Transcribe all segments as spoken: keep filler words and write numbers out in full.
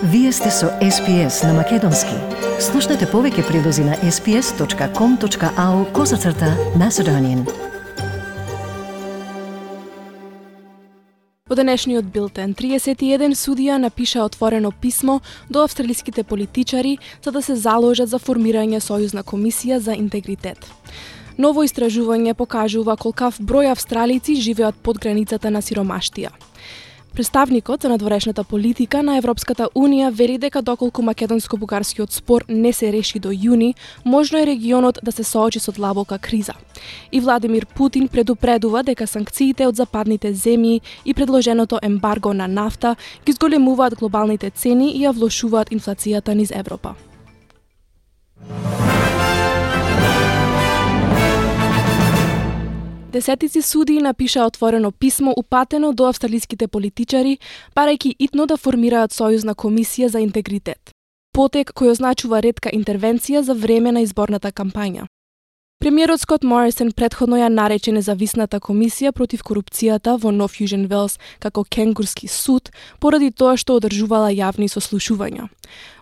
Вие сте со Ес Пи Ес на Македонски. Слушнете повеќе прилози на ес пи ес точка ком точка ау козацрта Macedonian. Во денешниот билтен, триесет и еден судија напиша отворено писмо до австралиските политичари за да се заложат за формирање сојузна комисија за интегритет. Ново истражување покажува колкав број австралици живеат под границата на сиромаштија. Представникот за надворешната политика на Европската Унија вели дека доколку македонско-бугарскиот спор не се реши до јуни, можно е регионот да се соочи со длабока криза. И Владимир Путин предупредува дека санкциите од западните земји и предложеното ембарго на нафта ги зголемуваат глобалните цени и ја влошуваат инфлацијата низ Европа. Десетици судии напиша отворено писмо упатено до австралиските политичари, барајќи итно да формираат сојузна комисија за интегритет. Потек кој означува ретка интервенција за време на изборната кампања. Премиерот Скот Морисон претходно ја нарече независната комисија против корупцијата во Нов Јужен Велс како кенгурски суд, поради тоа што одржувала јавни сослушувања.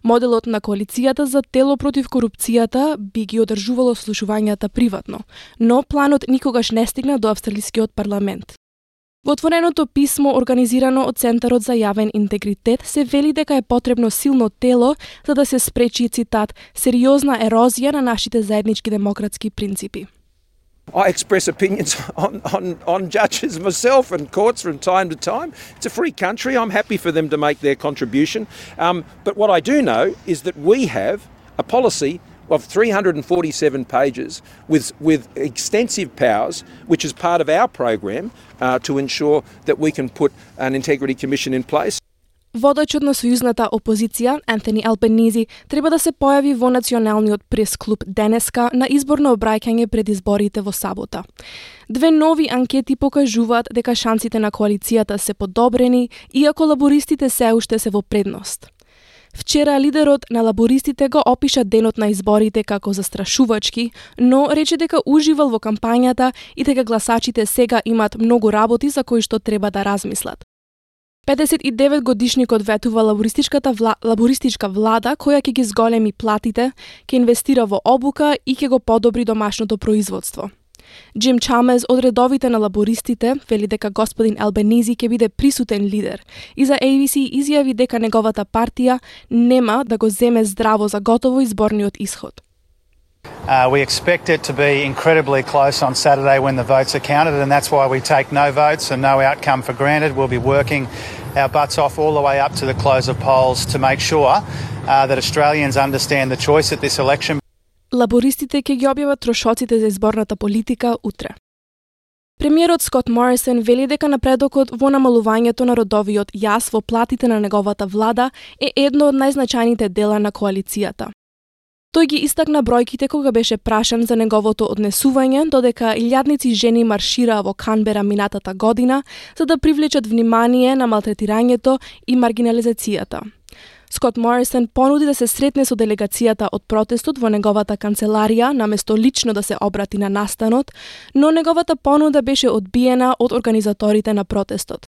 Моделот на коалицијата за тело против корупцијата би ги одржувало слушувањата приватно, но планот никогаш не стигна до австралискиот парламент. Во отвореното писмо, организирано од Центарот за јавен интегритет, се вели дека е потребно силно тело за да се спречи, цитат, сериозна ерозија на нашите заеднички демократски принципи. I express opinions on, on, on judges myself and courts from time to time. It's a free country. I'm happy for them to make their contribution. Um, but what I do know is that we have a policy of three hundred forty-seven pages with, with extensive powers, which is part of our program uh, to ensure that we can put an integrity commission in place. Водачот на сојузната опозиција, Антони Албенизи, треба да се појави во националниот прес-клуб денеска на изборно обраќање пред изборите во сабота. Две нови анкети покажуваат дека шансите на коалицијата се подобрени, иако лабористите се уште се во предност. Вчера лидерот на лабористите го опиша денот на изборите како застрашувачки, но рече дека уживал во кампањата и дека гласачите сега имаат многу работи за кои што треба да размислат. педесет и девет годишникот ветува лабористичката вла... лабористичка влада која ќе ги зголеми платите, ќе инвестира во обука и ќе го подобри домашното производство. Джим Чамез од редовите на лабористите вели дека господин Албенизи ќе биде присутен лидер и за Ей Би Си изјави дека неговата партија нема да го земе здраво за готово изборниот исход. Uh, we expect it to be incredibly close on Saturday when the votes are counted, and that's why we take no votes and no outcome for granted. We'll be working our butts off all the way up to the close of polls to make sure uh, that Australians understand the choice at this election. Лабористите ќе ги објават трошоците за изборната политика утре. Премиерот Скот Морисон вели дека напредокот во намалувањето на родовиот јас во платите на неговата влада е едно од најзначајните дела на коалицијата. Тој ги истакна бројките кога беше прашан за неговото однесување, додека илјадници жени маршираа во Канбера минатата година за да привлечат внимание на малтретирањето и маргинализацијата. Скот Морисон понуди да се сретне со делегацијата од протестот во неговата канцеларија наместо лично да се обрати на настанот, но неговата понуда беше одбиена од организаторите на протестот.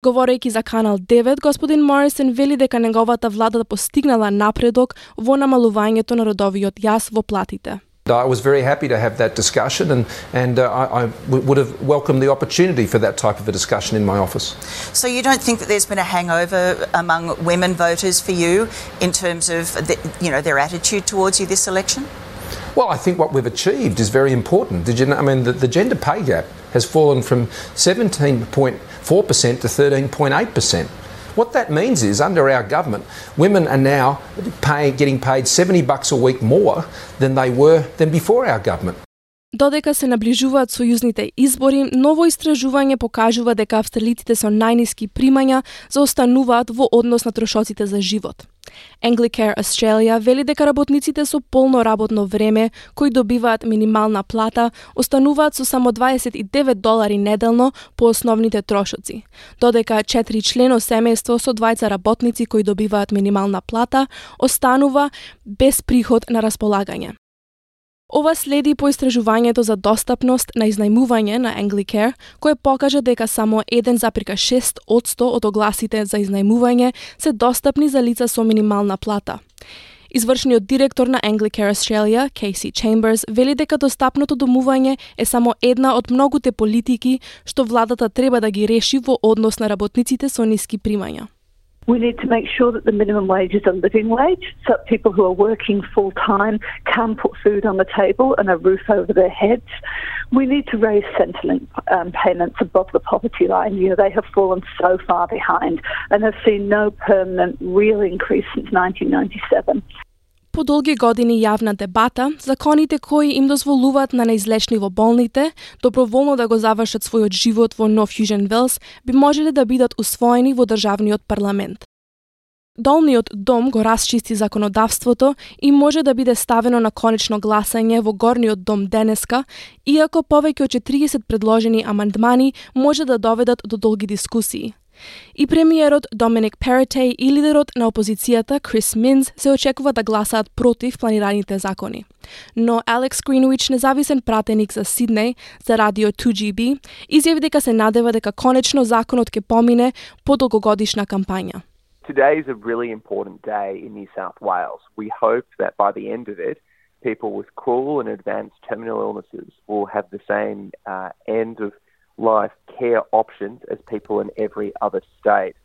Говорејќи за Канал девет, господин Морисон вели дека неговата влада постигнала напредок во намалувањето на родовиот јас во платите. I was very happy to have that discussion and, and uh, I, I would have welcomed the opportunity for that type of a discussion in my office. So you don't think that there's been a hangover among women voters for you in terms of the, you know, their attitude towards you this election? Well, I think what we've achieved is very important. Did you know, I mean, the, the gender pay gap has fallen from seventeen point four percent to thirteen point eight percent. What that means is, under our government, women are now pay, getting paid seventy bucks a week more than they were than before our government. Додека се наближуваат сојузните избори, ново истражување покажува дека австралиците со најниски примања заостануваат во однос на трошоците за живот. Anglicare Australia вели дека работниците со полно работно време, кои добиваат минимална плата, остануваат со само дваесет и девет долари неделно по основните трошоци, додека четири члено семејство со двајца работници кои добиваат минимална плата останува без приход на располагање. Ова следи по истражувањето за достапност на изнајмување на Anglicare, кое покажа дека само еден запирка шест одсто од огласите за изнајмување се достапни за лица со минимална плата. Извршниот директор на Anglicare Australia, Casey Chambers, вели дека достапното домување е само една од многуте политики што владата треба да ги реши во однос на работниците со ниски примања. We need to make sure that the minimum wage is a living wage, so that people who are working full-time can put food on the table and a roof over their heads. We need to raise Centrelink um, payments above the poverty line. You know, they have fallen so far behind and have seen no permanent real increase since nineteen ninety-seven. По долги години јавна дебата, законите кои им дозволуваат на неизлечни во болните доброволно да го завршат својот живот во Нов Јужен Велс би можеле да бидат усвоени во државниот парламент. Долниот дом го расчисти законодавството и може да биде ставено на конечно гласање во горниот дом денеска, иако повеќе од четириесет предложени амандмани може да доведат до долги дискусии. И премиерот Доминик Перотей и лидерот на опозицијата Крис Минс се очекува да гласаат против планираните закони. Но Алекс Гринвич, независен пратеник за Сиднеј за радио two G B, изјави дека се надева дека конечно законот ќе помине по долгогодишна кампања. Today is a really important day in New South Wales. We hope that by the end of it, people with cruel and advanced terminal illnesses will have the same uh, end of life care options as people in every other state.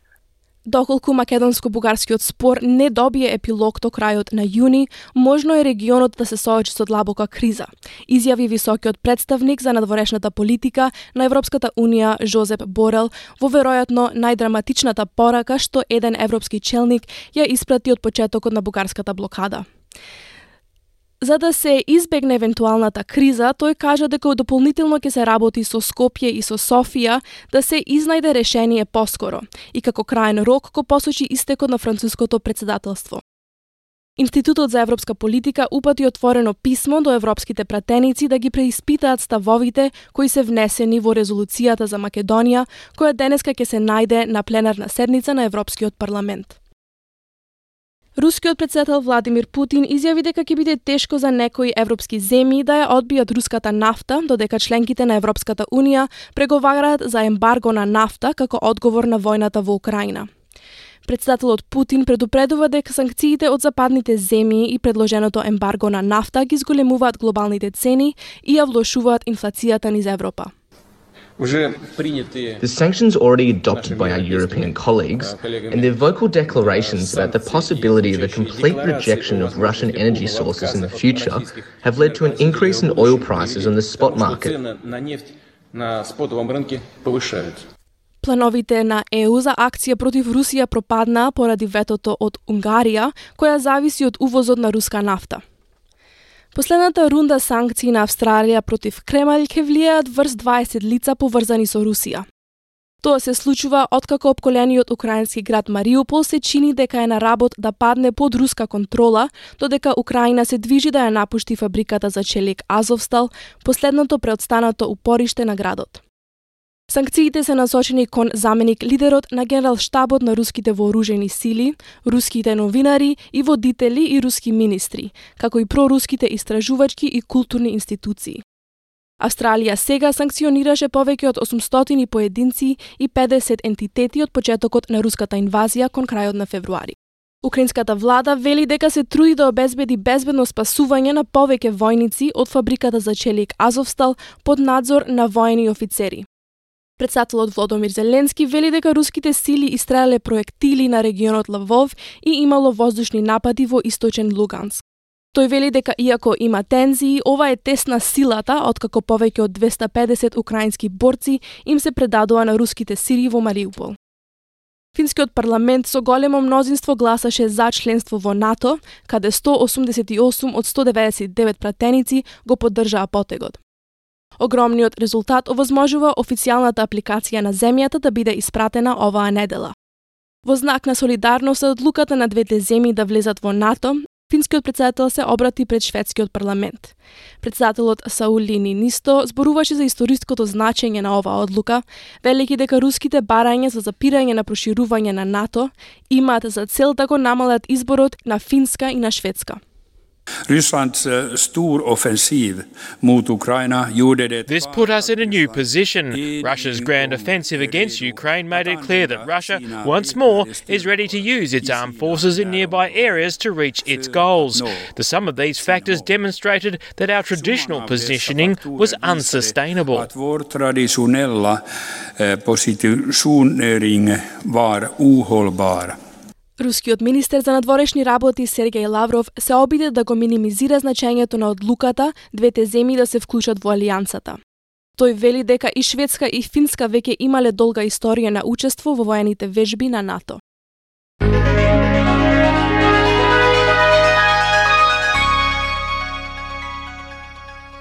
Доколку македонско-бугарскиот спор не добие епилог до крајот на јуни, можно е регионот да се соочи со длабока криза, изјави високиот представник за надворешната политика на Европската унија Жозеп Борел во веројатно најдраматичната порака што еден европски челник ја испрати од почетокот на бугарската блокада. За да се избегне евентуалната криза, тој кажа дека дополнително ќе се работи со Скопје и со Софија да се изнајде решение поскоро и како краен рок го посочи истекот на француското председателство. Институтот за европска политика упати отворено писмо до европските пратеници да ги преиспитаат ставовите кои се внесени во резолуцијата за Македонија, која денеска ќе се најде на пленарна седница на Европскиот парламент. Рускиот председател Владимир Путин изјави дека ќе биде тешко за некои европски земји да ја одбијат руската нафта, додека членките на Европската унија преговараат за ембарго на нафта како одговор на војната во Украина. Председателот Путин предупредува дека санкциите од западните земји и предложеното ембарго на нафта ги зголемуваат глобалните цени и ја влошуваат инфлацијата низ Европа. The sanctions already adopted by our European colleagues and their vocal declarations about the possibility of a complete rejection of Russian energy sources in the future have led to an increase in oil prices on the spot market. Плановите на Е У за акција против Русија пропаднаа поради ветото од Унгарија, која зависи од увозот на руска нафта. Последната рунда санкции на Австралија против Кремљ ќе влијаат врз дваесет лица поврзани со Русија. Тоа се случува откако опколениот украински град Мариупол се чини дека е на работ да падне под руска контрола, додека Украина се движи да ја напушти фабриката за челик Азовстал, последното преотстанато упориште на градот. Санкциите се насочени кон заменик лидерот на генерал-штабот на руските вооружени сили, руските новинари и водители и руски министри, како и проруските истражувачки и културни институции. Австралија сега санкционираше повеќе од осумстотини поединци и педесет ентитети од почетокот на руската инвазија кон крајот на февруари. Украинската влада вели дека се труди да обезбеди безбедно спасување на повеќе војници од фабриката за челик Азовстал под надзор на воени офицери. Председателот Володомир Зеленски вели дека руските сили истрелале проектили на регионот Лвов и имало воздушни напади во источен Луганск. Тој вели дека иако има тензии, ова е тест на силата, откако повеќе од двесте педесет украински борци им се предадоа на руските сили во Мариупол. Финскиот парламент со големо мнозинство гласаше за членство во НАТО, каде сто осумдесет и осум од сто деветдесет и девет пратеници го поддржаа потегот. Огромниот резултат овозможува официјалната апликација на земјата да биде испратена оваа недела. Во знак на солидарност од одлуката на двете земји да влезат во НАТО, финскиот председател се обрати пред шведскиот парламент. Председателот Саули Нинисто зборуваше за историското значење на оваа одлука, велики дека руските барања за запирање на проширување на НАТО имаат за цел да го намалат изборот на Финска и на Шведска. Rysslands uh, stor offensiv mot Ukraina gjorde det. This put us in a new position. Russia's grand offensive against Ukraine made it clear that Russia, once more, is ready to use its armed forces in nearby areas to reach its goals. The sum of these factors demonstrated that our traditional positioning was unsustainable. Att vår traditionella eh, positionering var ohållbar. Рускиот министер за надворешни работи Сергеј Лавров се обиде да го минимизира значењето на одлуката двете земји да се вклучат во алијансата. Тој вели дека и Шведска и Финска веќе имале долга историја на учество во воените вежби на НАТО.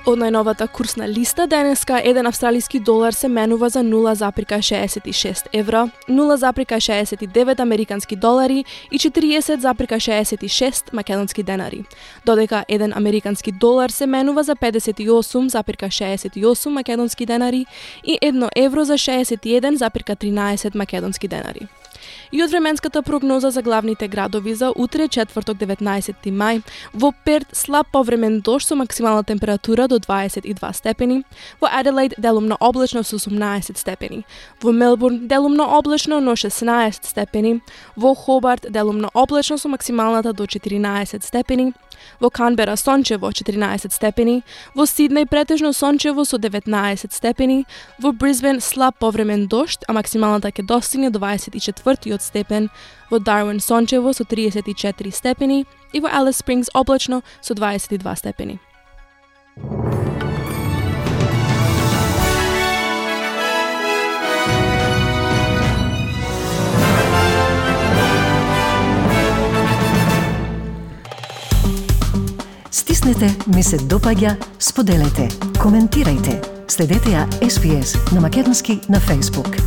Од најновата курсна листа денеска еден австралиски долар се менува за нула запирка шеесет и шест евра, нула запирка шеесет и девет американски долари и четириесет запирка шеесет и шест македонски денари, додека еден американски долар се менува за педесет и осум запирка шеесет и осум македонски денари и едно евро за шеесет и еден запирка тринаесет македонски денари. И од временската прогноза за главните градови за утре, четврток деветнаесети мај, во Перт слаб повремен дожд со максимална температура до дваесет и два степени, во Аделаид делумно облачно со осумнаесет степени, во Мелбурн делумно облачно но шеснаесет степени, во Хобарт делумно облачно со максималната до четиринаесет степени, во Канбера сончево четиринаесет степени, во Сиднеј претежно сончево со деветнаесет степени, во Брисбен слаб повремен дожд, а максималната ќе достигне дваесет и четвртиот степен, во Дарвин сончево со триесет и четири степени и во Алис Спрингс облачно со дваесет и два степени. Стиснете, ми се допаѓа, споделете, коментирајте. Следете ја Ес Би Ес на македонски на Facebook.